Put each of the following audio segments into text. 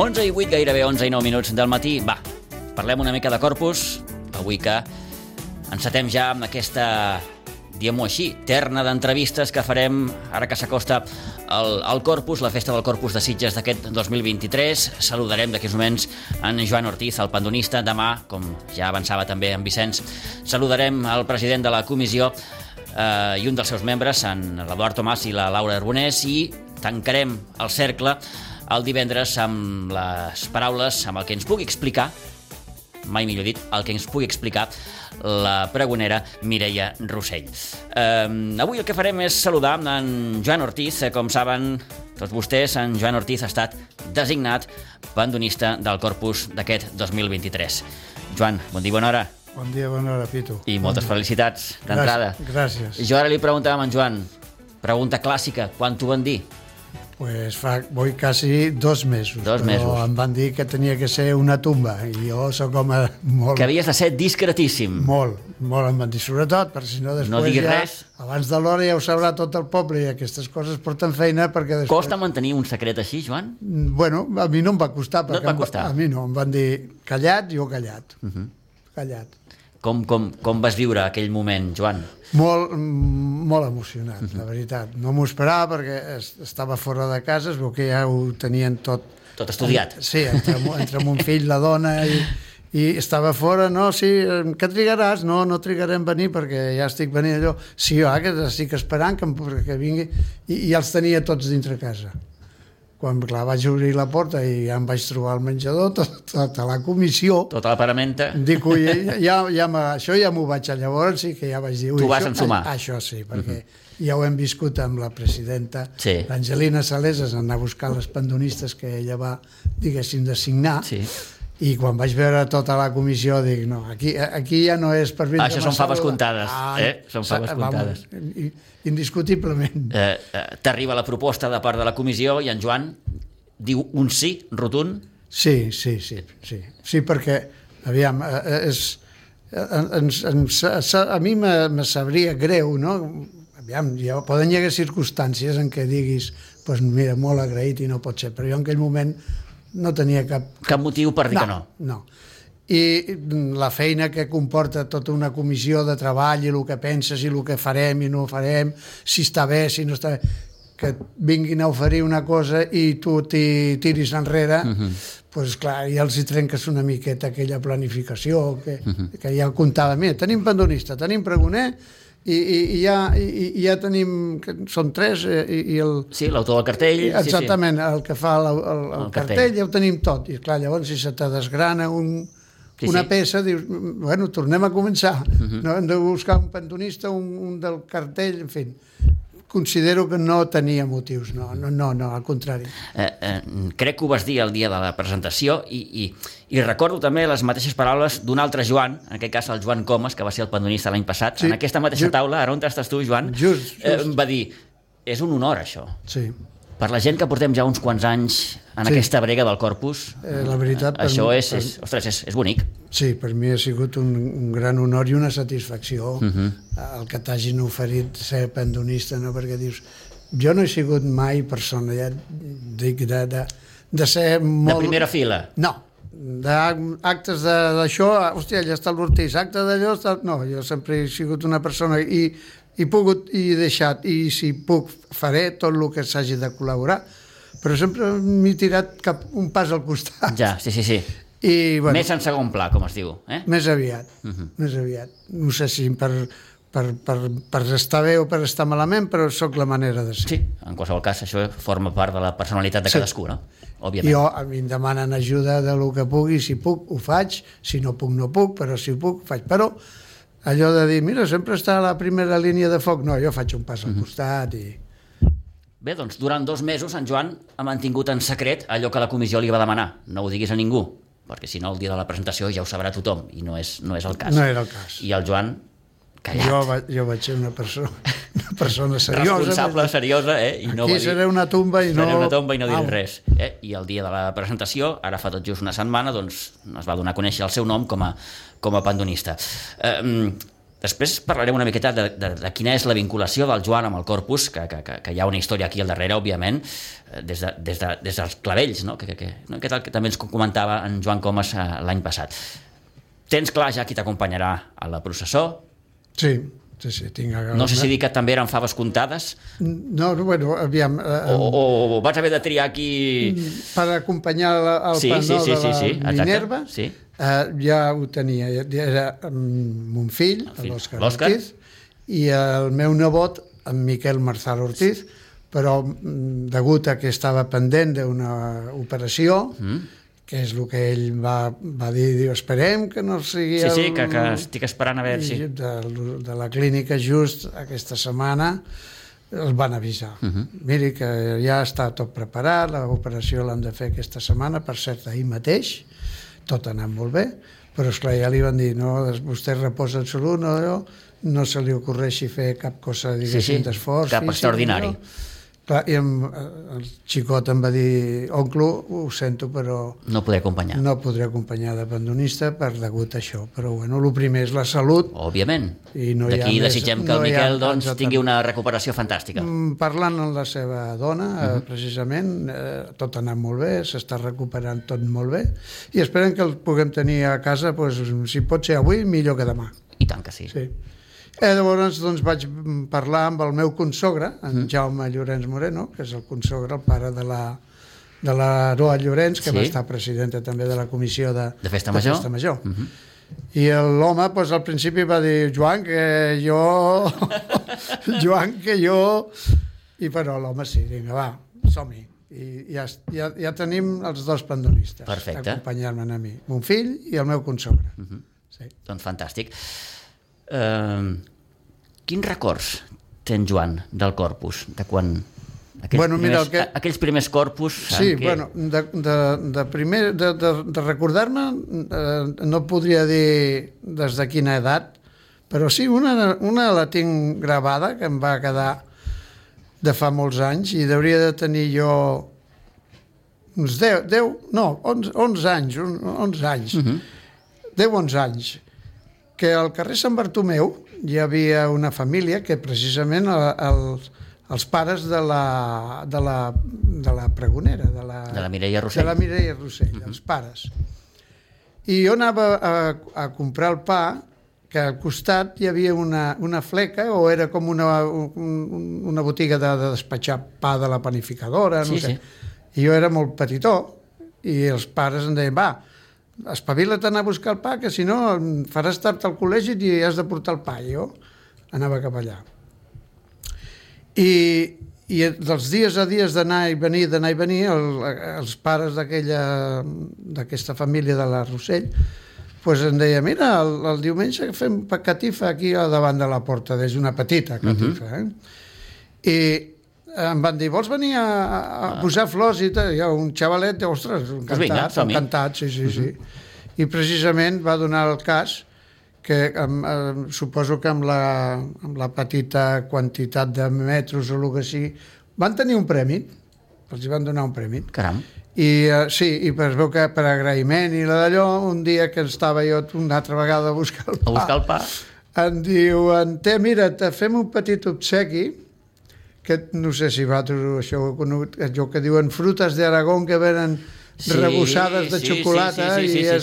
11:08, gairebé 11:09 del matí. Va, parlem una mica de Corpus, avui que encetem ja amb aquesta, diguem-ho així, terna d'entrevistes que farem ara que s'acosta el Corpus, la festa del Corpus de Sitges d'aquest 2023. Saludarem d'aquí uns moments en Joan Ortiz, el pandonista. Demà, com ja avançava també en Vicenç, saludarem el president de la comissió i un dels seus membres, en l'Eduard Tomàs i la Laura Arbonès, i tancarem el cercle el divendres amb les paraules, amb el que ens pugui explicar, mai millor dit, el que ens pugui explicar la pregonera Mireia Rossell. Avui el que farem és saludar en Joan Ortiz. Com saben tots vostès, en Joan Ortiz ha estat designat pandonista del Corpus d'aquest 2023. Joan, bon dia, bona hora. Bon dia, bona hora, Pitu. I moltes felicitats d'entrada. Gràcies. Jo ara li preguntàvem a en Joan, pregunta clàssica, quan t'ho van dir? Pues fa quasi 2 mesos. 2 mesos. Però em van dir que tenia que ser una tumba i jo sóc home molt... Que havies de ser discretíssim. Molt em van dir, sobretot, perquè si no després no diguis ja, res. Abans de l'hora ja ho sabrà tot el poble i aquestes coses porten feina perquè després... Costa mantenir un secret així, Joan? Bueno, a mi no em va costar. No et va costar? A mi no, em van dir callat, jo callat. Callat. Com vas viure aquell moment, Joan? Molt emocionat, la veritat. No m'ho esperava perquè estava fora de casa, es veu que ja ho tenien tot... Tot estudiat. Sí, entre mon fill, la dona, i estava fora, no, sí, que trigaràs? No trigaré en venir perquè ja estic venint allò. Sí, que estic esperant que vingui, i ja els tenia tots dintre casa. Quan, clar, vaig obrir la porta i ja em vaig trobar al menjador, tota la comissió... Tota la paramenta. Dic, ui, això ja m'ho vaig a llavors, sí que ja vaig dir... Tu vas ensumar. Això sí, perquè ja ho hem viscut amb la presidenta, sí. l'Angelina Saleses, anar a buscar les pandonistes que ella va, diguéssim, designar, sí. I quan vaig veure tota la comissió dic, no, aquí ja no és per vindre... Això són faves comptades, Són faves comptades. Indiscutiblement. T'arriba la proposta de part de la comissió i en Joan diu un sí rotund? Sí, perquè, aviam, a mi me sabria greu, no? Aviam, poden hi haver circumstàncies en què diguis, doncs mira, molt agraït i no pot ser, però jo en aquell moment no tenia cap motiu per dir que no. No. I la feina que comporta tota una comissió de treball i el que penses i el que farem i no farem, si està bé, si no està bé, que vinguin a oferir una cosa i tu t'hi tiris enrere, doncs clar, ja els hi trenques una miqueta aquella planificació que ja comptava. Mira, tenim pandonista, tenim pregoner, i ja tenim, són 3 i el... Sí, l'autor del cartell. Exactament, el que fa el cartell ja ho tenim tot, i clar, llavors si se te desgrana una peça, dius, bueno, tornem a començar, no hem de buscar un pandonista, un del cartell, en fi. Considero que no tenia motius, no, al contrari. Crec que ho vas dir el dia de la presentació i recordo també les mateixes paraules d'un altre Joan, en aquest cas el Joan Comas, que va ser el pandonista l'any passat, en aquesta mateixa taula, ara on estàs tu, Joan, va dir, és un honor això. Sí. Per la gent que portem ja uns quants anys en aquesta brega del Corpus, la veritat, això és bonic. Sí, per mi ha sigut un gran honor i una satisfacció el que t'hagin oferit ser pandonista, no? Perquè dius, jo no he sigut mai persona, ja dic, de ser molt... De primera fila? No, d'actes d'això, hòstia, allà està l'Ortiz, acte d'allò, no, jo sempre he sigut una persona i he pogut i deixat, i si puc faré tot el que s'hagi de col·laborar, però sempre m'he tirat un pas al costat. Ja, sí. I, bueno, més en segon pla, com es diu. Més aviat. No sé si per estar bé o per estar malament, però sóc la manera de ser. Sí, en qualsevol cas, això forma part de la personalitat de cadascú, no? Òbviament. Jo, a mi em demanen ajuda de lo que pugui, si puc, ho faig, si no puc, no puc, però si puc, ho faig. Però allò de dir, mira, sempre està a la primera línia de foc, no, jo faig un pas al costat i... Bé, doncs durant 2 mesos en Joan ha mantingut en secret allò que la comissió li va demanar. No ho diguis a ningú, perquè si no el dia de la presentació ja ho sabrà tothom i no és el cas. No era el cas. I el Joan, callat. Jo vaig ser una persona seriosa. Responsable, seriosa, i no aquí va dir... seré una tomba i no... Seré una tomba i no diré res. I el dia de la presentació, ara fa tot just una setmana, doncs es va donar a conèixer el seu nom com a pandonista. Després parlarem una miqueta de quina és la vinculació del Joan amb el Corpus, que hi ha una història aquí al darrere, òbviament, des dels clavells, no? Que també ens comentava en Joan Comas l'any passat. Tens clar ja qui t'acompanyarà a la processó? Sí, tinc... No sé si dir que també eren faves comptades? No, bueno, aviam... O vas haver de triar qui... Per acompanyar el panó de la Minerva, ja ho tenia. Era mon fill, l'Òscar Ortiz, i el meu nebot, en Miquel Marzal Ortiz, però degut a que estava pendent d'una operació, que és el que ell va dir, esperem que no sigui... Sí, que estic esperant a veure si... De la clínica just aquesta setmana els van avisar. Miri que ja està tot preparat, l'operació l'han de fer aquesta setmana, per cert, ahir mateix, tot ha anat molt bé, però esclar, ja li van dir, no, vostè reposa en salut, no se li ocorreixi fer cap cosa, diguéssim, d'esforç. Cap extraordinari. Clar, i el xicot em va dir, oncle, ho sento, però... No podré acompanyar. No podré acompanyar d'abandonista per degut a això. Però, bueno, el primer és la salut. Òbviament. D'aquí desitgem que el Miquel tingui una recuperació fantàstica. Parlant amb la seva dona, precisament, tot ha anat molt bé, s'està recuperant tot molt bé, i esperem que el puguem tenir a casa, si pot ser avui, millor que demà. I tant que sí. Llavors vaig parlar amb el meu consogre, en Jaume Llorenç Moreno, que és el consogre, el pare de l'Aroa Llorenç, que va estar presidenta també de la comissió de Festa Major. I l'home al principi va dir, Joan, que jo... I però l'home sí, vinga, va, som-hi. I ja tenim els dos pandonistes acompanyant-me a mi, mon fill i el meu consogre. Doncs fantàstic. Quins records tens, Joan, del Corpus? De quan... Aquells primers Corpus... Sí, bueno, de recordar-me no podria dir des de quina edat, però sí, una la tinc gravada, que em va quedar de fa molts anys, i hauria de tenir jo uns 11 anys, 10-11 anys, que al carrer Sant Bartomeu hi havia una família que precisament els pares de la pregonera, de la Mireia Rossell. De la Mireia Rossell, els pares. I jo anava a comprar el pa, que al costat hi havia una fleca, o era com una botiga de despatxar pa de la panificadora, no sé. I jo era molt petitó, i els pares em deien, va, espavila't a anar a buscar el pa, que si no faràs tard al col·legi i has de portar el pa. I jo anava cap allà. I dels dies a dies d'anar i venir, els pares d'aquesta família de la Rossell em deia, mira, el diumenge fem catifa aquí davant de la porta, des d'una petita catifa. I em van dir, vols venir a posar flors i tal? Hi ha un xavalet, ostres, encantat, sí. I precisament va donar el cas que suposo que amb la petita quantitat de metros o el que sigui, van tenir un premi, els van donar un premi. Caram. I sí, i es veu que per agraïment i d'allò, un dia que estava jo una altra vegada a buscar el pa, em diuen, mira, te fem un petit obsequi, que no sé si vosaltres això ho conegut, allò que diuen frutes d'Aragó que venen rebossades de xocolata, i em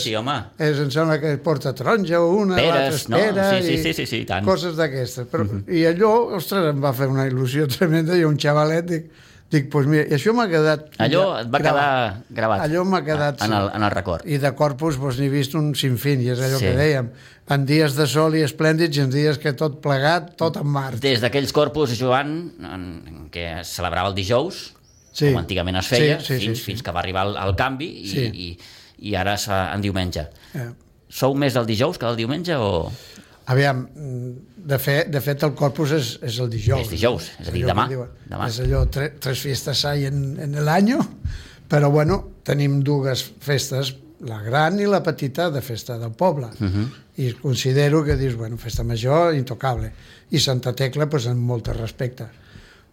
sembla que porta taronja o una, l'altra peres, i coses d'aquestes. I allò, ostres, em va fer una il·lusió tremenda, i un xavalet, dic, doncs mira, i això m'ha quedat... Allò et va quedar gravat. Allò m'ha quedat en el record. I de Corpus n'he vist un sinfín, i és allò que dèiem, en dies de sol i esplèndids, i en dies que tot plegat, tot en mar. Des d'aquells Corpus, Joan, que es celebrava el dijous, com antigament es feia, fins que va arribar el canvi, i ara en diumenge. Sou més del dijous que del diumenge, o...? Aviam, de fet el Corpus és el dijous. És dijous, és a dir, demà. És allò, tres fiestas hay en l'any, però bueno, tenim dues festes, la gran i la petita de festa del poble. I considero que dius, bueno, festa major, intocable. I Santa Tecla, doncs, amb molt respecte.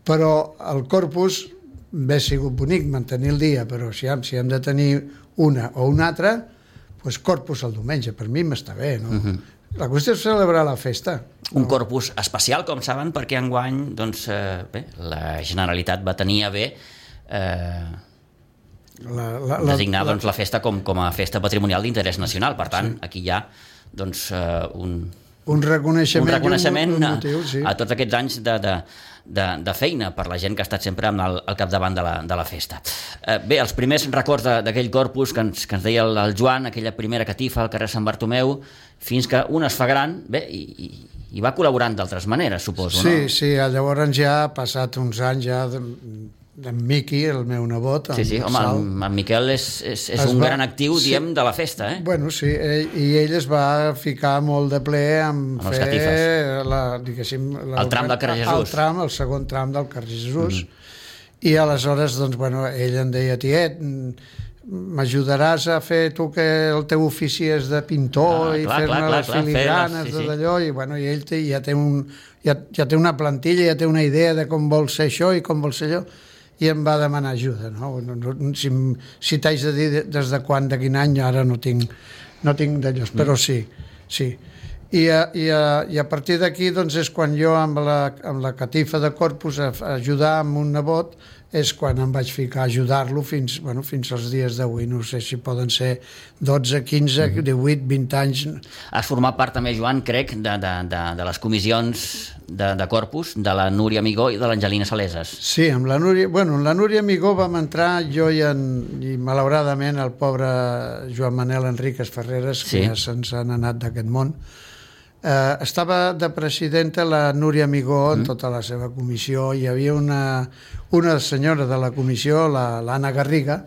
Però el Corpus hauria sigut bonic mantenir el dia, però si hem de tenir una o una altra, doncs Corpus el diumenge, per mi m'està bé, no? La qüestió és celebrar la festa, Un corpus especial, com saben, perquè enguany doncs, la Generalitat va tenir a bé designar doncs, la festa com a festa patrimonial d'interès nacional. Per tant, aquí hi ha doncs, un reconeixement un motiu, a tots aquests anys de feina per la gent que ha estat sempre al capdavant de la festa. Bé, els primers records d'aquell corpus que ens deia el Joan, aquella primera catifa al carrer Sant Bartomeu, fins que un es fa gran, bé, i va col·laborant d'altres maneres, suposo, no? Sí, llavors ja ha passat uns anys ja d'en Miqui, el meu nebot. Sí, home, en Miquel és un gran actiu, diguem, de la festa, eh? Bueno, sí, i ell es va ficar molt de ple amb les catifes. El tram del carrer Jesús. El segon tram del carrer Jesús. I aleshores, doncs, bueno, ell em deia, tiet, m'ajudaràs a fer tu que el teu ofici és de pintor i fer-me les filigranes d'allò, i bueno, i ell ja té una plantilla, ja té una idea de com vol ser això i com vol ser allò, i em va demanar ajuda, no? Si t'haig de dir des de quan, de quin any, ara no tinc d'allò, però sí. I a partir d'aquí doncs, és quan jo amb la catifa de Corpus a ajudar amb un nebot, és quan em vaig ficar a ajudar-lo fins als dies d'avui. No sé si poden ser 12, 15, 18, 20 anys. Has format part també, Joan, crec, de les comissions de Corpus, de la Núria Amigó i de l'Angelina Saleses. Sí, amb la Núria Amigó vam entrar jo i malauradament el pobre Joan Manel Enríquez Ferreres, que ja se'ns han anat d'aquest món. Estava de presidenta la Núria Amigó en tota la seva comissió. Hi havia una senyora de la comissió, l'Anna Garriga,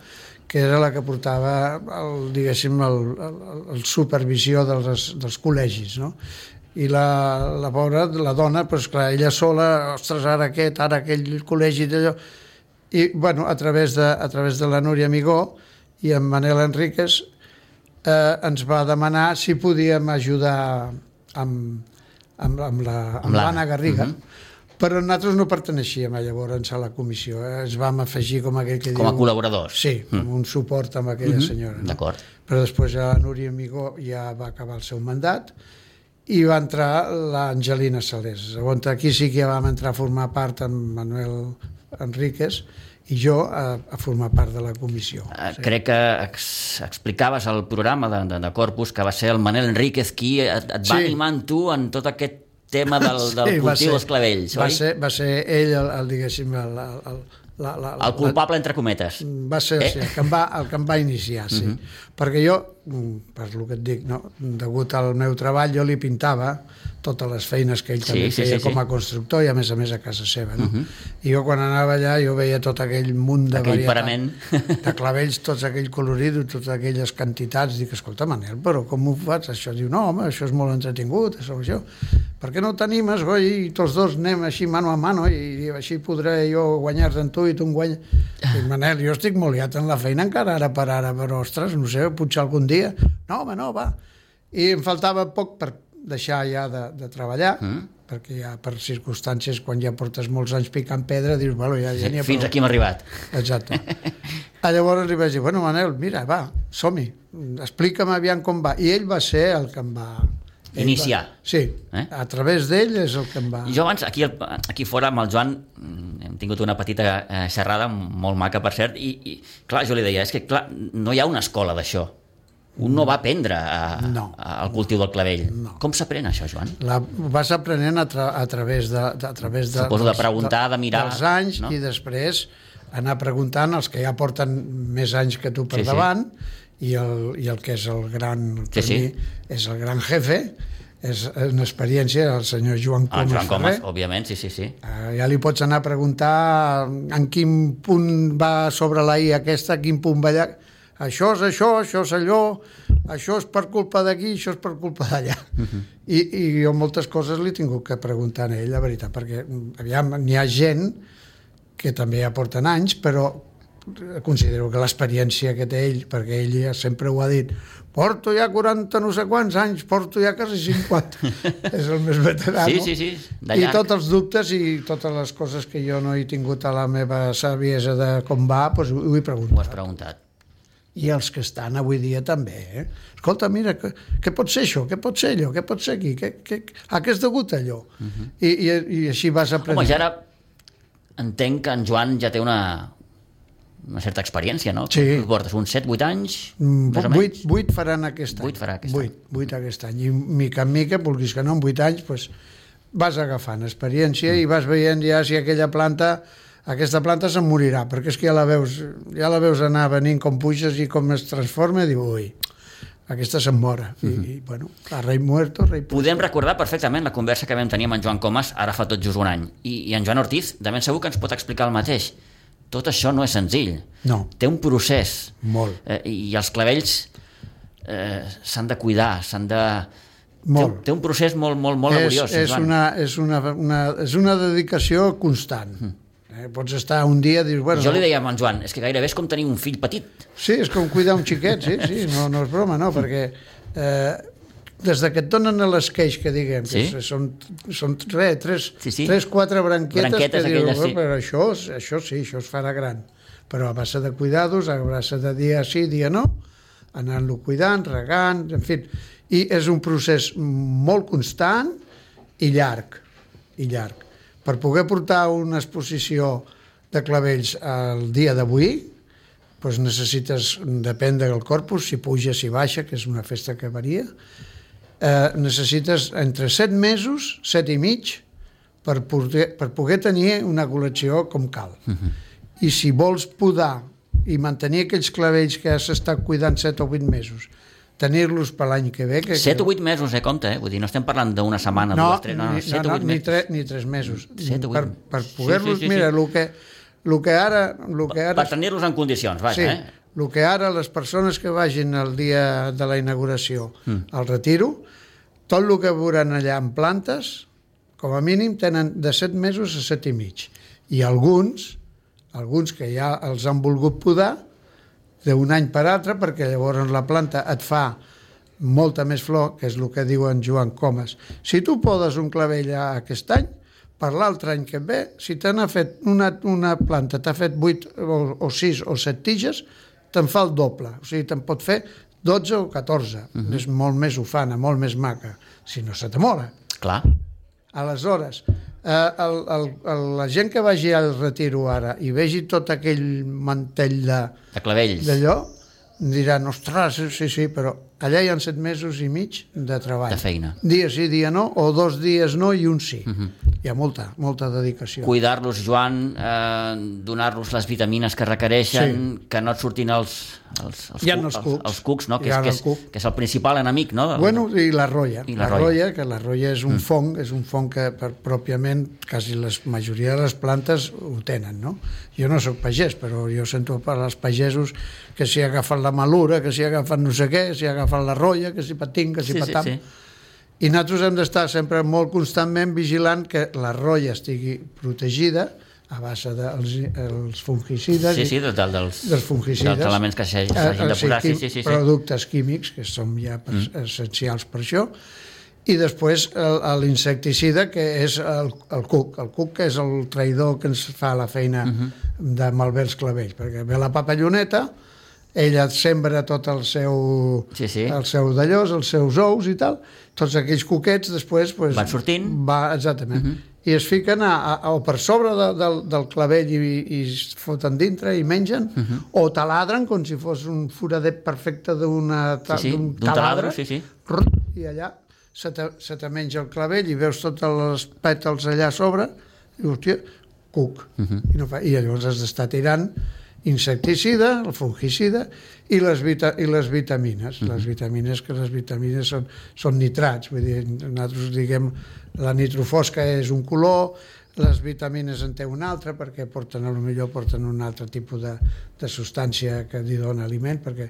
que era la que portava el supervisió dels col·legis, no? I la pobra, la dona, doncs clar, ella sola, ostres, ara aquell col·legi d'allò. I, bueno, a través de la Núria Amigó i en Manel Enríquez ens va demanar si podíem ajudar amb l'Anna Garriga, però nosaltres no perteneixíem llavors a la comissió, ens vam afegir com aquell que diu... Com a col·laboradors. Sí, com un suport amb aquella senyora. D'acord. Però després la Núria Amigó ja va acabar el seu mandat i va entrar l'Angelina Saleses. Aquí sí que ja vam entrar a formar part amb Manuel Enríquez i jo a formar part de la comissió. Crec que explicaves al programa de Corpus que va ser el Manel Enríquez qui et va animar amb tu en tot aquest tema del cultiu dels clavells, oi? Va ser ell, diguéssim, el culpable, entre cometes. Va ser el que em va iniciar, sí. Perquè jo, per el que et dic, degut al meu treball, jo li pintava totes les feines que ell també feia com a constructor i a més a casa seva. I jo quan anava allà jo veia tot aquell munt de varietat de clavells, tots aquell colorit, totes aquelles quantitats. Dic, escolta, Manel, però com ho fas? Això diu, no, home, això és molt entretingut, això. Per què no t'animes, i tots dos anem així mano a mano i així podré jo guanyar-te en tu i tu em guanyes? Dic, Manel, jo estic molt liat en la feina encara ara per ara, però ostres, no sé, potser algun dia. No, home, no, va. I em faltava poc per deixar ja de treballar, perquè ja per circumstàncies, quan ja portes molts anys picant pedra, dius, bueno, ja n'hi ha prou. Fins aquí hem arribat. Exacte. Llavors li vaig dir, bueno, Manel, mira, va, som-hi, explica'm aviam com va. I ell va ser el que em va... Iniciar. Sí, a través d'ell és el que em va... Jo abans, aquí fora, amb el Joan, hem tingut una petita xerrada, molt maca, per cert, i clar, jo li deia, és que clar, no hi ha una escola d'això. Un no va aprendre al cultiu del clavell. Com s'aprèn això, Joan? Vas aprenent a través de... Suposo de preguntar, de mirar... Dels anys, i després anar preguntant als que ja porten més anys que tu per davant, i el que és el gran... És el gran jefe, és una experiència, el senyor Joan Comas Ferrer. Joan Comas, òbviament, sí. Ja li pots anar a preguntar en quin punt va sobre la I aquesta, quin punt va allà... Això és això és allò, això és per culpa d'aquí, això és per culpa d'allà. I jo moltes coses li he tingut que preguntar a ell, la veritat, perquè aviam, n'hi ha gent que també ja porten anys, però considero que l'experiència que té ell, perquè ell ja sempre ho ha dit, porto ja 40 no sé quants anys, porto ja quasi 50, és el més veterà, no? Sí, I tots els dubtes i totes les coses que jo no he tingut a la meva saviesa de com va, doncs ho he preguntat. Ho has preguntat. i els que estan avui dia també. Escolta, mira, què pot ser això? Què pot ser allò? Què pot ser aquí? Què és degut a allò? I així vas aprenent. Home, ja ara entenc que en Joan ja té una certa experiència, no? Sí. Tu portes uns 7-8 anys, més o menys? 8 faran aquest any. 8 farà aquest any. 8 aquest any. I mica en mica, vulguis que no, en 8 anys, doncs, vas agafant experiència i vas veient ja si aquesta planta se'n morirà, perquè és que ja la veus anar venint com puixes i com es transforma, i diu, ui, aquesta se'n mora. I bueno, a rei muerto, rei puesto. Podem recordar perfectament la conversa que vam tenir amb en Joan Comas ara fa tot just un any. I en Joan Ortiz, de ben segur que ens pot explicar el mateix. Tot això no és senzill. No. Té un procés. Molt. I els clavells s'han de cuidar, s'han de... Molt. Té un procés molt laboriós. És una dedicació constant. Pots estar un dia i dius... Bueno, jo li deia a en Joan, és que gairebé és com tenir un fill petit. Sí, és com cuidar un xiquet, sí, no és broma, no, perquè des que et donen a l'esqueix, que diguem, que són 3-4 branquetes que dius, però això sí, això es farà gran. Però a base de cuidados, a base de dia sí, dia no, anant-lo cuidant, regant, en fi. I és un procés molt constant i llarg. Per poder portar una exposició de clavells al dia d'avui, doncs necessites, depèn del corpus, si puja, si baixa, que és una festa que varia, necessites entre 7 mesos, 7 i mig, per poder tenir una col·lecció com cal. I si vols podar i mantenir aquells clavells que has estat cuidant 7 o 8 mesos, tenir-los per l'any que ve... 7 o 8 mesos, compte, Vull dir, no estem parlant d'una setmana, no, 2, 3, no, 7 o 8 mesos. Ni 3 mesos. 7 o 8 mesos. Per poder-los... Mira, el que ara... Per tenir-los en condicions, vaja, el que ara les persones que vagin el dia de la inauguració al retiro, tot el que veuran allà en plantes, com a mínim tenen de 7 mesos a 7 i mig. I alguns que ja els han volgut podar d'un any per altre, perquè llavors la planta et fa molta més flor, que és el que diu en Joan Comas. Si tu podes un clavell aquest any, per l'altre any que ve, si t'ha fet una planta, t'ha fet 8 o 6 o 7 tiges, te'n fa el doble. O sigui, te'n pot fer 12 o 14. És molt més ufana, molt més maca, si no se t'amola. Clar. Aleshores, la gent que vagi al retiro ara i vegi tot aquell mantell de clavells d'allò, diran, ostres, sí, però allà hi ha 7 mesos i mig de treball. De feina. Dia sí, dia no, o 2 dies no i un sí. Hi ha molta dedicació. Cuidar-los, Joan, donar-los les vitamines que requereixen, que no et surtin els cucs, no? que és el principal enemic, no? Bueno, i la rolla. La rolla és un fong que pròpiament quasi la majoria de les plantes ho tenen, no? Jo no soc pagès, però jo sento per als pagesos que si agafen la malura, que si agafen no sé què, si agafen la rolla, que si patim, que si patam. I nosaltres hem d'estar sempre molt constantment vigilant que la rolla estigui protegida a base dels fungicides, dels fungicides, dels elements que s'hagin de posar, productes químics, que són ja essencials per això, i després l'insecticida, que és el cuc. El cuc, que és el traïdor que ens fa la feina de malbé els clavells, perquè ve la papalloneta, ella sembra tot el seu d'allòs, els seus ous i tal, tots aquells cuquets després van sortint, exactament, i es fiquen o per sobre del clavell i es foten dintre i mengen, o taladren com si fos un foradet perfecte d'un taladre, i allà se te menja el clavell i veus tots els pètals allà a sobre i hòstia, cuc, i llavors has d'estar tirant insecticida, el fungicida i les vitamines. Les vitamines són nitrats, vull dir, nosaltres diguem la nitrofosca és un color, les vitamines en té un altre, perquè porten un altre tipus de substància que li dona aliment, perquè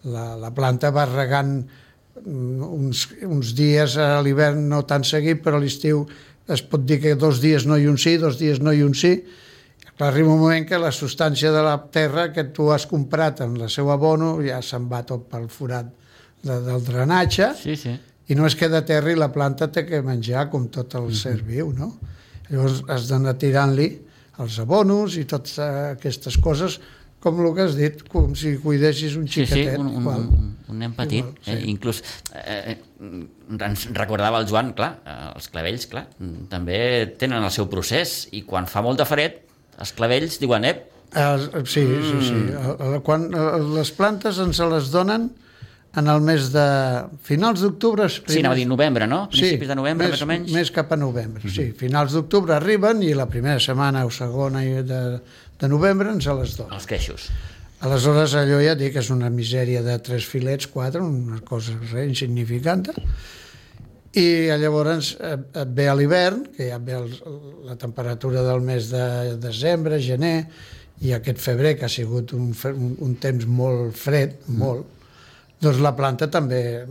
la planta va regant uns dies a l'hivern no tan seguit, però a l'estiu es pot dir que 2 dies no i un sí, 2 dies no i un sí. Arriba un moment que la substància de la terra que tu has comprat en el seu abono ja se'n va tot pel forat del drenatge i no es queda terra i la planta té que menjar com tot el ser viu, no? Llavors has d'anar tirant-li els abonos i totes aquestes coses com el que has dit, com si cuidessis un xiquetet. Un nen petit. Inclús ens recordava el Joan, clar, els clavells, clar, també tenen el seu procés, i quan fa molt de fred, els clavells diuen, Sí. Quan les plantes ens les donen en el mes de finals d'octubre... Sí, anava a dir novembre, no? Principis de novembre, més o menys? Més cap a novembre, sí. Finals d'octubre arriben i la primera setmana o segona de novembre ens les donen. Els queixos. Aleshores, allò ja dic que és una misèria de 3 filets, 4, una cosa insignificant. I llavors et ve a l'hivern, que ja ve la temperatura del mes de desembre, gener, i aquest febrer, que ha sigut un temps molt fred, molt, doncs la planta també,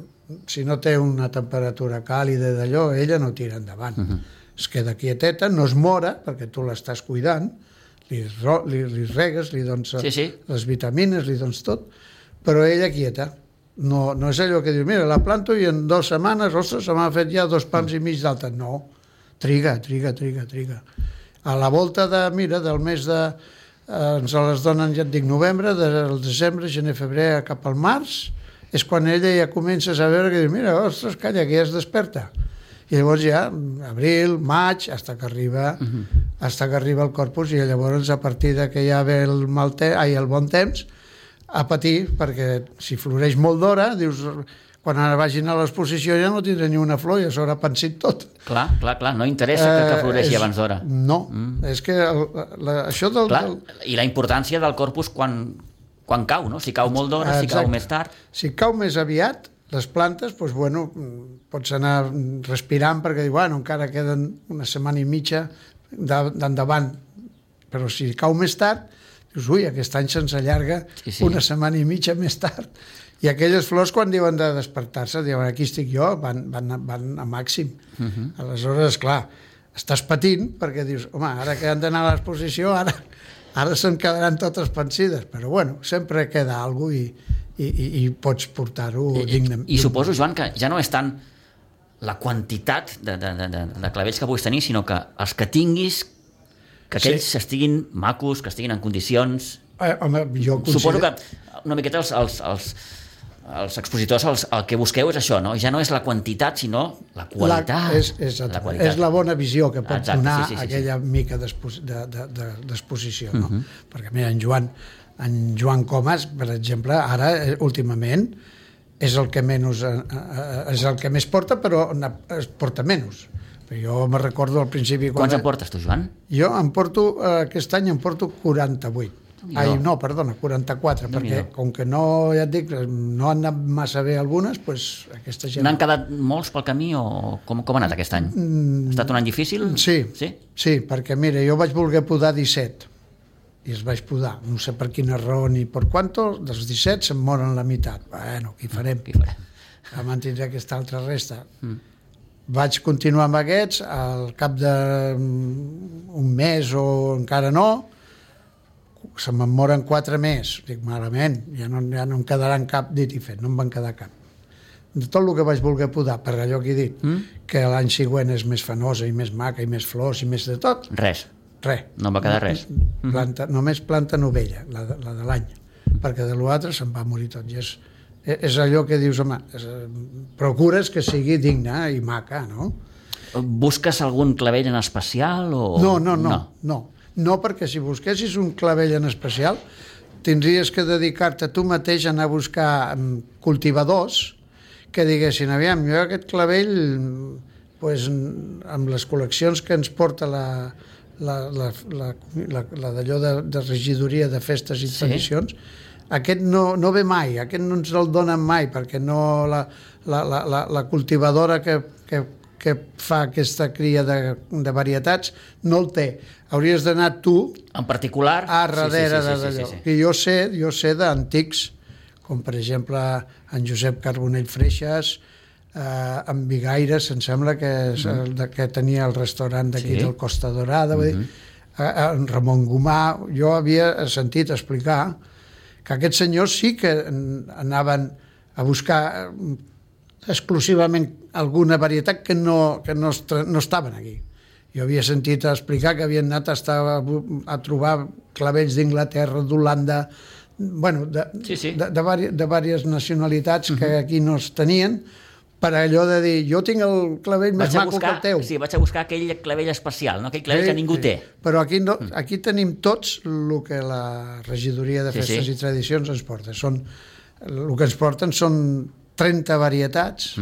si no té una temperatura càlida d'allò, ella no tira endavant. Es queda quieteta, no es mora, perquè tu l'estàs cuidant, li regues, li dones les vitamines, li dones tot, però ella quieta. No és allò que dius, mira, la planto i en 2 setmanes, ostres, se m'ha fet ja 2 pams i mig d'alta. No, triga. A la volta del mes de... ens les donen, ja et dic, novembre, del desembre, gener, febrer, cap al març, és quan ella ja comences a veure que dius, mira, ostres, calla, que ja es desperta. I llavors ja, abril, maig, fins que arriba el Corpus, i llavors a partir de que ja ve el bon temps, a patir, perquè si floreix molt d'hora, dius, quan ara vagin a l'exposició ja no tindrà ni una flor, ja s'haurà pensit tot. Clar, no interessa que floreixi abans d'hora. No, és que això del... Clar, i la importància del Corpus quan cau, no? Si cau molt d'hora, si cau més tard... Si cau més aviat, les plantes, doncs, bueno, pots anar respirant perquè diu, bueno, encara queden una setmana i mitja d'endavant, però si cau més tard, dius, ui, aquest any se'ns allarga una setmana i mitja més tard. I aquelles flors, quan diuen de despertar-se, diuen, aquí estic jo, van a màxim. Aleshores, clar, estàs patint perquè dius, home, ara que han d'anar a l'exposició, ara se'n quedaran totes pensides, però bueno, sempre queda alguna cosa i pots portar-ho dignament. I suposo, Joan, que ja no és tant la quantitat de clavells que puguis tenir, sinó que els que tinguis, que aquells estiguin macos, que estiguin en condicions... Home, jo considero... Suposo que una miqueta els expositors el que busqueu és això, no? Ja no és la quantitat, sinó la qualitat. És la bona visió que pot donar aquella mica d'exposició. Perquè, mira, en Joan Comas, per exemple, ara, últimament, és el que més porta, però es porta menys. Jo me recordo al principi... Quants en portes tu, Joan? Jo aquest any em porto 48. No, perdona, 44, perquè com que no, ja et dic, no han anat massa bé algunes, doncs aquesta gent... N'han quedat molts pel camí o com ha anat aquest any? Ha estat un any difícil? Sí, perquè mira, jo vaig voler podar 17 i els vaig podar, no sé per quina raó ni per quanto, dels 17 se'n moren la meitat. Bueno, què farem? Ja mantindré aquesta altra resta. Vaig continuar amb aquests, al cap d'un mes o encara no, se me'n moren 4 més. Dic, malament, ja no em quedaran cap dit i fet, no em van quedar cap. De tot el que vaig voler podar, per allò que he dit, que l'any següent és més fanosa i més maca i més flors i més de tot. Res. No em va quedar res. Només planta novella, la de l'any, perquè de l'altre se'n va morir tot. I és allò que dius, home, procures que sigui digna i maca, no? Busques algun clavell en especial? No, perquè si busquessis un clavell en especial tindries que dedicar-te tu mateix a anar a buscar cultivadors que diguessin, aviam, jo aquest clavell, amb les col·leccions que ens porta la d'allò de regidoria de festes i tradicions, aquest no ve mai, aquest no ens el donen mai, perquè no la cultivadora que fa aquesta cria de varietats no el té. Hauries d'anar tu en particular a darrere d'allò. I jo sé d'antics, com per exemple en Josep Carbonell Freixas, en Bigaires, em sembla que tenia el restaurant d'aquí del Costa Dorada, en Ramon Gomà. Jo havia sentit explicar que aquests senyors sí que anaven a buscar exclusivament alguna varietat que no estaven aquí. Jo havia sentit explicar que havien anat a trobar clavells d'Inglaterra, d'Holanda, bueno, de diverses nacionalitats que aquí no es tenien, per allò de dir, jo tinc el clavell més maco que el teu. Sí, vaig a buscar aquell clavell especial, no? Aquell clavell que ningú té. Però aquí tenim tots el que la regidoria de festes i tradicions ens porta. El que ens porten són 30 varietats,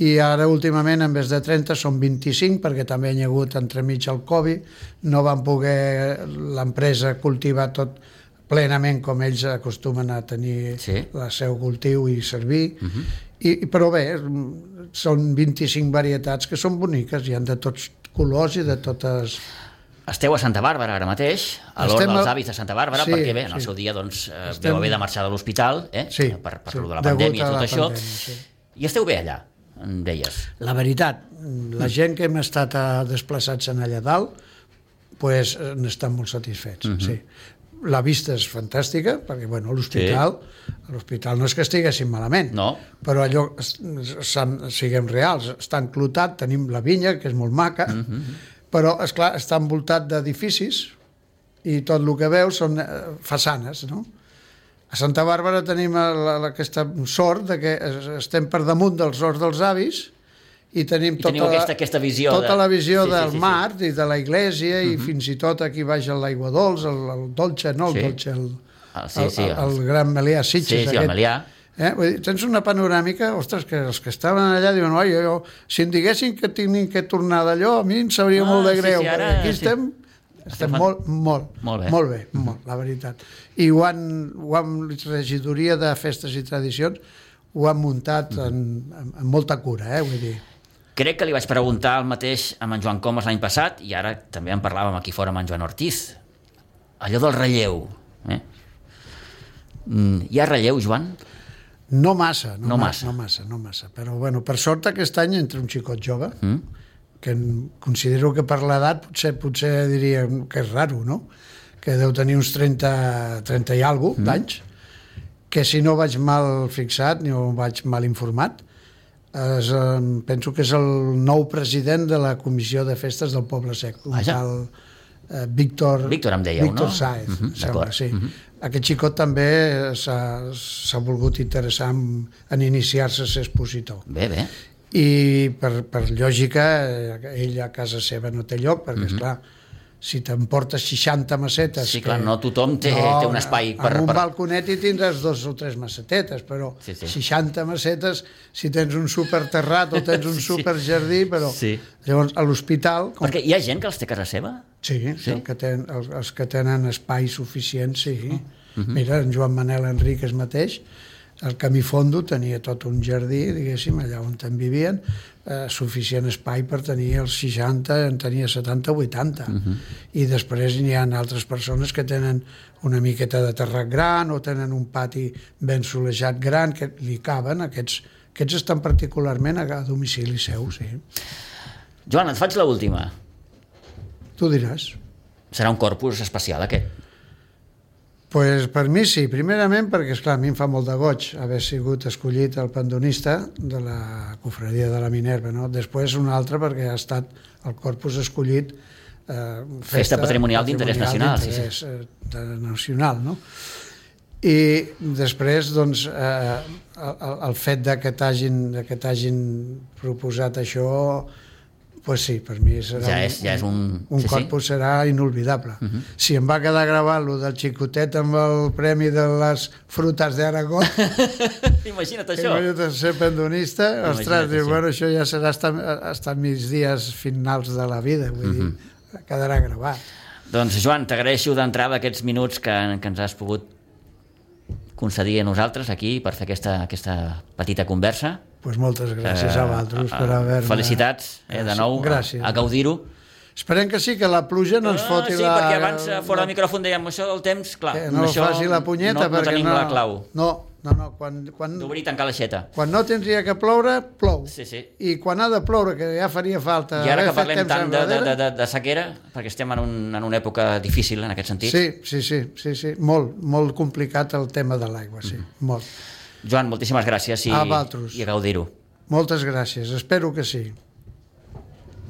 i ara últimament en vez de 30 són 25, perquè també hi ha hagut entremig el Covid, no van poder l'empresa cultivar tot plenament com ells acostumen a tenir el seu cultiu i servir, però bé, són 25 varietats que són boniques, hi ha de tots colors i de totes... Esteu a Santa Bàrbara ara mateix, a l'Hort dels Avis de Santa Bàrbara, perquè bé, en el seu dia vau haver de marxar de l'hospital per la pandèmia i tot això, i esteu bé allà, em deies. La veritat, la gent que hem estat desplaçats en allà dalt, n'estan molt satisfets, sí. La vista és fantàstica, perquè l'hospital no és que estiguessin malament, però allò, siguem reals, està enclotat, tenim la vinya, que és molt maca, però, esclar, està envoltat d'edificis i tot el que veus són façanes, no? A Santa Bàrbara tenim aquesta sort que estem per damunt dels Horts dels Avis i tenim aquesta visió tota la visió del mar i de la iglesia i fins i tot aquí baix l'aigua dolç, el dolce, no el dolce, el Gran Melià Sitges. Sí, el Melià. Tens una panoràmica, ostres, que els que estaven allà diuen, oi, si em diguessin que tinguin que tornar d'allò, a mi em sabria molt de greu, perquè aquí estem molt bé, la veritat. I la regidoria de festes i tradicions ho han muntat amb molta cura, vull dir. Crec que li vaig preguntar el mateix amb en Joan Comas l'any passat, i ara també en parlàvem aquí fora amb en Joan Ortiz. Allò del relleu. Hi ha relleu, Joan? No massa. Però, bueno, per sort aquest any entre un xicot jove, que considero que per l'edat potser diria que és raro, no? Que deu tenir uns 30 i alguna d'anys, que si no vaig mal fixat ni vaig mal informat, penso que és el nou president de la Comissió de Festes del Poble Sec, un tal Víctor em dèieu, no? Víctor Sáez, sembla, sí. Aquest xicot també s'ha volgut interessar en iniciar-se a ser expositor. Bé. I per lògica, ell a casa seva no té lloc, perquè, esclar, si t'emportes 60 macetes... Sí, clar, no tothom té un espai per... En un balconet hi tindràs 2 o 3 macetetes, però 60 macetes, si tens un superterrat o tens un superjardí, però... Llavors, a l'hospital... Perquè hi ha gent que els té a casa seva? Sí, els que tenen espai suficient, sí. Mira, en Joan Manel Enríquez mateix, el Camí Fondo tenia tot un jardí, diguéssim, allà on en vivien, suficient espai per tenir els 60, en tenia 70 o 80. I després hi ha altres persones que tenen una miqueta de terrat gran o tenen un pati ben solejat gran que li caben. Aquests estan particularment a domicili seu, sí. Joan, et faig l'última. Tu diràs. Serà un corpus especial, aquest? Pues per mi sí, primerament perquè, esclar, a mi em fa molt de goig haver sigut escollit el pandonista de la Cofradia de la Minerva, no? Després un altre perquè ha estat el corpus escollit Festa Patrimonial d'Interès Nacional. Nacional, no? I després, doncs, el fet que t'hagin proposat això, pues sí, per mi serà un corpus serà inolvidable. Si em va quedar gravat lo del xicotet amb el premi de les frutas d'Aragó, imagina't això. Imagina't ser pendonista, ostres, diu, bueno, això ja serà hasta mis dies finals de la vida, vull dir, quedarà gravat. Doncs, Joan, t'agraeixo d'entrada aquests minuts que ens has pogut concedir a nosaltres aquí per fer aquesta petita conversa. Pues moltes gràcies a vosaltres per haver-me... Felicitats, de nou, a gaudir-ho. Esperem que sí, que la pluja no ens foti la... Sí, perquè abans, fora del micròfon, dèiem, això del temps, clar... Que no faci la punyeta, perquè no tenim la clau. No, quan... D'obrir i tancar l'aixeta. Quan no tindria que ploure, plou. Sí. I quan ha de ploure, que ja faria falta... I ara que parlem tant de sequera, perquè estem en una època difícil en aquest sentit. Sí. Molt complicat el tema de l'aigua, sí, molt. Joan, moltíssimes gràcies i a gaudir-ho. Moltes gràcies, espero que sí.